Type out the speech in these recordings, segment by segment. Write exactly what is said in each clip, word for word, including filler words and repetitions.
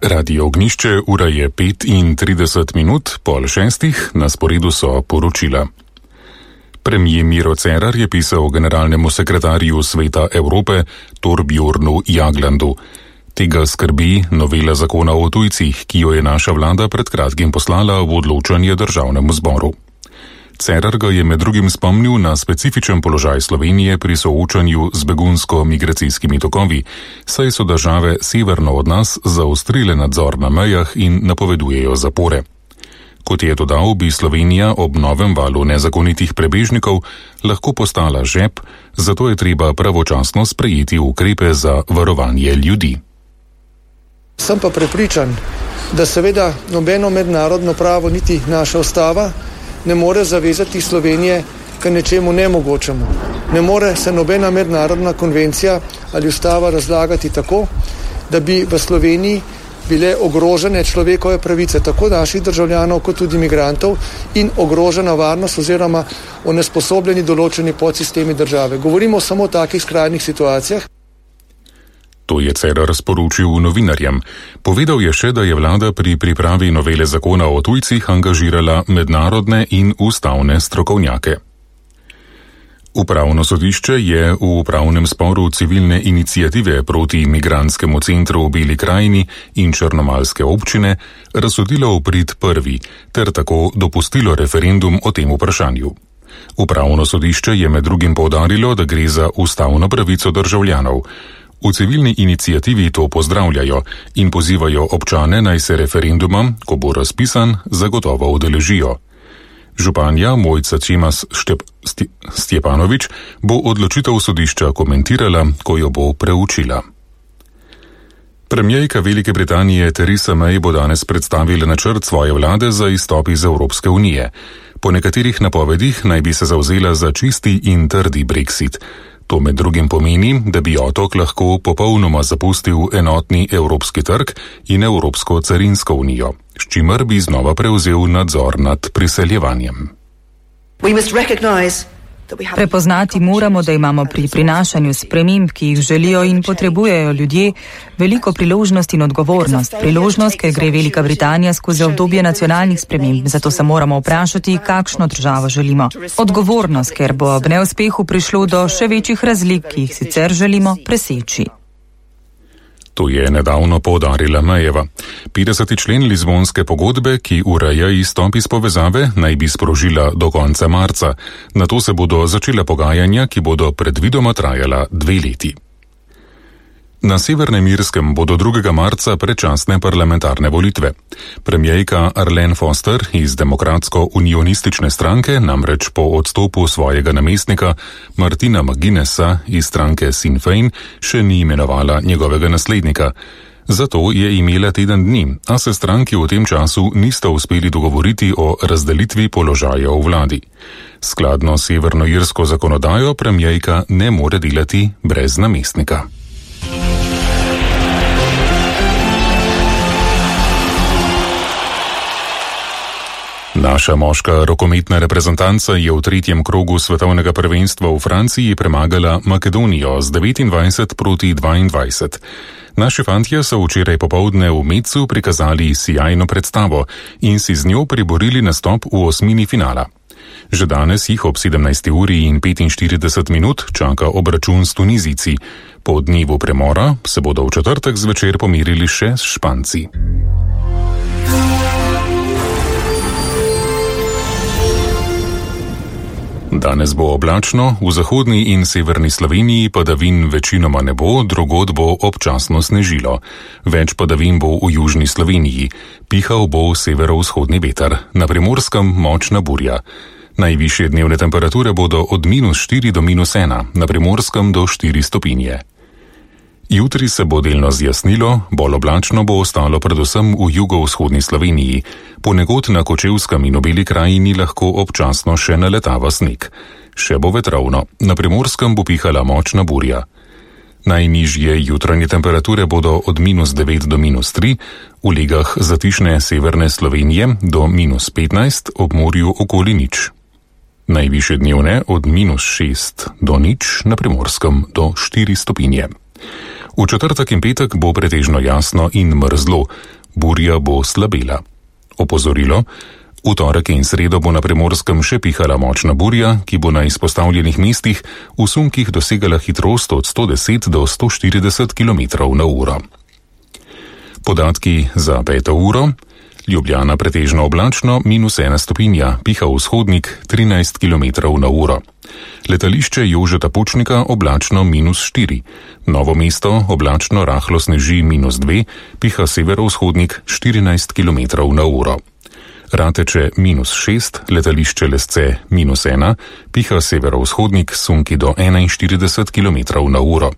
Radio Ognišče, ura je petintrideset minut, pol šestih, na sporedu so poročila. Premijer Miro Cerar je pisal generalnemu sekretarju Sveta Evrope Torbjornu Jaglandu. Tega skrbi novela zakona o tujcih, ki jo je naša vlada pred kratkim poslala v odločanje državnemu zboru. Cerar ga je med drugim spomnil na specifičen položaj Slovenije pri soočanju z begunsko-migracijskimi tokovi, saj so države severno od nas zaostrile nadzor na mejah in napovedujejo zapore. Kot je dodal, bi Slovenija ob novem valu nezakonitih prebežnikov lahko postala žep, zato je treba pravočasno sprejeti ukrepe za varovanje ljudi. Sem pa prepričan, da seveda nobeno mednarodno pravo niti naša ustava ne more zavezati Slovenije k nečemu nemogočemu. Ne more se nobena mednarodna konvencija ali ustava razlagati tako, da bi v Sloveniji bile ogrožene človekove pravice tako naših državljanov kot tudi migrantov in ogrožena varnost oziroma onesposobljeni določeni podsistemi države. Govorimo samo o takih skrajnih situacijah. To je Cerar sporočil novinarjem. Povedal je še, da je vlada pri pripravi novele zakona o tujcih angažirala mednarodne in ustavne strokovnjake. Upravno sodišče je v upravnem sporu civilne iniciative proti migrantskemu centru v Beli krajini in črnomaljske občine razsodilo v prid prvi, ter tako dopustilo referendum o tem vprašanju. Upravno sodišče je med drugim poudarilo, da gre za ustavno pravico državljanov. V civilni iniciativi to pozdravljajo in pozivajo občane, naj se referenduma, ko bo razpisan, zagotovo udeležijo. Županja Mojca Čemas Štep, Stjepanovič bo odločitev sodišča komentirala, ko jo bo preučila. Premijerka Velike Britanije Theresa May bo danes predstavila načrt svoje vlade za izstop iz Evropske unije. Po nekaterih napovedih naj bi se zavzela za čisti in trdi Brexit. To med drugim pomeni, da bi otok lahko popolnoma zapustil enotni evropski trg in Evropsko carinsko unijo, s čimer bi znova prevzel nadzor nad priseljevanjem. Prepoznati moramo, da imamo pri prinašanju sprememb, ki jih želijo in potrebujejo ljudje, veliko priložnost in odgovornost. Priložnost, ker gre Velika Britanija skozi obdobje nacionalnih sprememb, zato se moramo vprašati, kakšno državo želimo. Odgovornost, ker bo ob neuspehu prišlo do še večjih razlik, ki jih sicer želimo preseči. To je nedavno poudarila Mayeva. petdeseti člen Lizbonske pogodbe, ki ureja izstop iz povezave, naj bi sprožila do konca marca. Nato se bodo začela pogajanja, ki bodo predvidoma trajala dve leti. Na Severnem Irskem bodo drugega marca predčasne parlamentarne volitve. Premijerka Arlene Foster iz demokratsko-unionistične stranke namreč po odstopu svojega namestnika Martina McGuinnessa iz stranke Sinn Féin še ni imenovala njegovega naslednika. Zato je imela teden dni, a se stranki v tem času nista uspeli dogovoriti o razdelitvi položaja v vladi. Skladno s severnoirsko zakonodajo premijerka ne more delati brez namestnika. Naša moška rokometna reprezentanca je v tretjem krogu svetovnega prvenstva v Franciji premagala Makedonijo z devetindvajset proti dvaindvajset. Naši fantje so včeraj popoldne v Metzu prikazali sijajno predstavo in si z njo priborili nastop v osmini finala. Že danes jih ob sedemnajsti uri in petinštirideset minut čaka obračun s Tunizijci. Po dnevu premora se bodo v četrtek zvečer pomirili še s Španci. Danes bo oblačno, v zahodni in severni Sloveniji padavin večinoma ne bo, drugod bo občasno snežilo. Več padavin bo v južni Sloveniji, pihal bo severovzhodni veter, na Primorskem močna burja. Najvišje dnevne temperature bodo od minus štiri do minus ena, na Primorskem do štiri stopinje. Jutri se bo delno zjasnilo, bolj oblačno bo ostalo predvsem v jugovzhodni Sloveniji. Ponekod na Kočevskem in v Beli krajini lahko občasno še naletava sneg. Še bo vetrovno, na Primorskem bo pihala močna burja. Najnižje jutranje temperature bodo od minus devet do minus tri, v legah zatišne severne Slovenije do minus petnajst, ob morju okoli nič. Najvišje dnevne od minus šest do nič, na Primorskem do štiri stopinje. V četrtek in petek bo pretežno jasno in mrzlo. burja bo slabela. Opozorilo: v torek in sredo bo na Primorskem še pihala močna burja, ki bo na izpostavljenih mestih v sunkih dosegala hitrost od sto deset do sto štirideset kilometrov na uro. Podatki za peto uro. Ljubljana pretežno oblačno, minus ena stopinja, piha vzhodnik trinajst kilometrov na uro. Letališče Jožeta Pučnika oblačno minus štiri. Novo mesto oblačno rahlo sneži minus dve, piha severovzhodnik štirinajst kilometrov na uro. Rateče minus šest, letališče Lesce minus ena, piha severovzhodnik sunki do enainštirideset kilometrov na uro.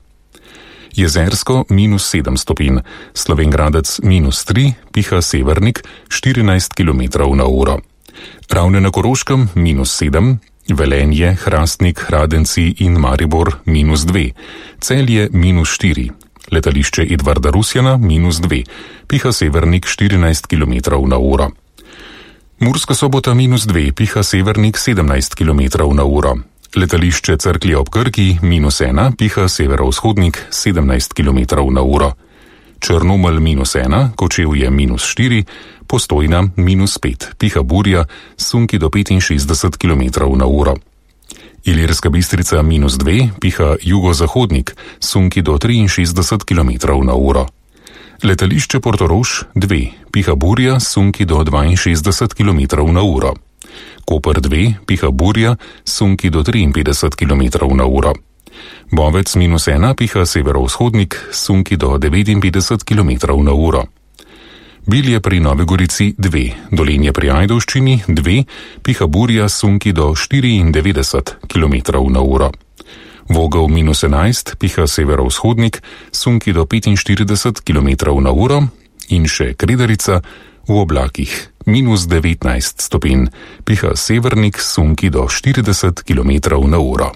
Jezersko minus sedem stopinj, Slovenjgradec minus tri, piha severnik štirinajst kilometrov na uro. Ravne na Koroškem minus sedem, Velenje, Hrastnik, Hradenci in Maribor minus dve, Celje minus štiri, letališče Edvarda Rusjana minus dve, piha severnik štirinajst kilometrov na uro. Murska Sobota minus dve, piha severnik sedemnajst kilometrov na uro. Letališče Cerklje ob Krki minus ena, piha severovzhodnik sedemnajst kilometrov na uro. Črnomelj minus ena, Kočevje minus štiri, Postojna minus pet, piha burja, sunki do petinšestdeset kilometrov na uro. Ilirska Bistrica minus dve, piha jugozahodnik, sunki do triinšestdeset kilometrov na uro. Letališče Portorož dve, piha burja, sunki do dvainšestdeset kilometrov na uro. Koper dve, piha burja, sunki do triinpetdeset kilometrov na uro. Bovec minus ena, piha severovzhodnik, sunki do devetinpetdeset kilometrov na uro. Bilje pri Novi Gorici dve, Dolenje pri Ajdovščini dve, piha burja, sunki do štiriindevetdeset kilometrov na uro. Vogel minus enajst, piha severovzhodnik, sunki do petinštirideset kilometrov na uro. In še Kredarica v oblakih minus devetnajst stopinj, piha severnik, sunki do štirideset kilometrov na uro.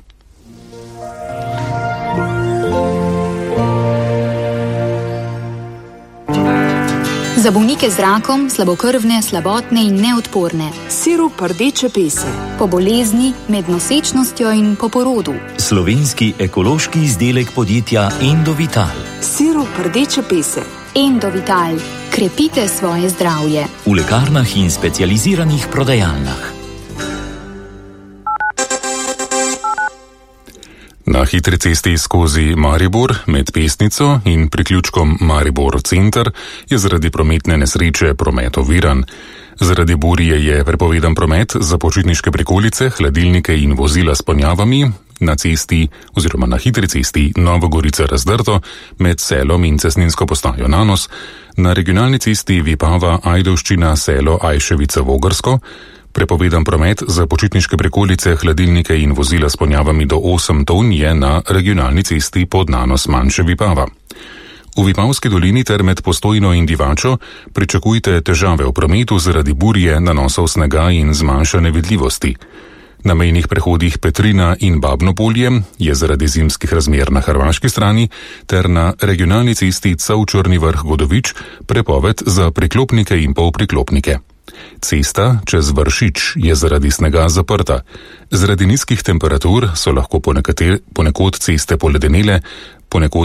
Za bolnike z rakom, slabokrvne, slabotne in neodporne. Sirup rdeče pese. Po bolezni, med nosečnostjo in po porodu. Slovenski ekološki izdelek podjetja Endovital. Sirup rdeče pese. Endovital. Krepite svoje zdravje. V lekarnah in specializiranih prodajalnah. Na hitri cesti skozi Maribor med Pesnico in priključkom Maribor center je zaradi prometne nesreče promet oviran. Zaradi burje je prepovedan promet za počitniške prikolice, hladilnike in vozila s ponjavami na cesti oziroma na hitri cesti Nova Gorica Razdrto med Selom in cestninsko postajo Nanos, na regionalni cesti Vipava Ajdovščina Selo Ajševica Vogrsko, prepovedan promet za počitniške prikolice, hladilnike in vozila s ponjavami do osem ton je na regionalni cesti pod Nanos Manjše Vipava. V Vipavski dolini ter med Postojno in Divačo pričakujte težave v prometu zaradi burje, nanosov snega in zmanjšane vidljivosti. Na mejnih prehodih Petrina in Babno Polje je zaradi zimskih razmer na hrvaški strani ter na regionalni cesti Cav-Črni Vrh-Godovič prepoved za priklopnike in polpriklopnike. Cesta čez Vršič je zaradi snega zaprta. Zaradi nizkih temperatur so lahko ponekod ceste poledenele, ponekod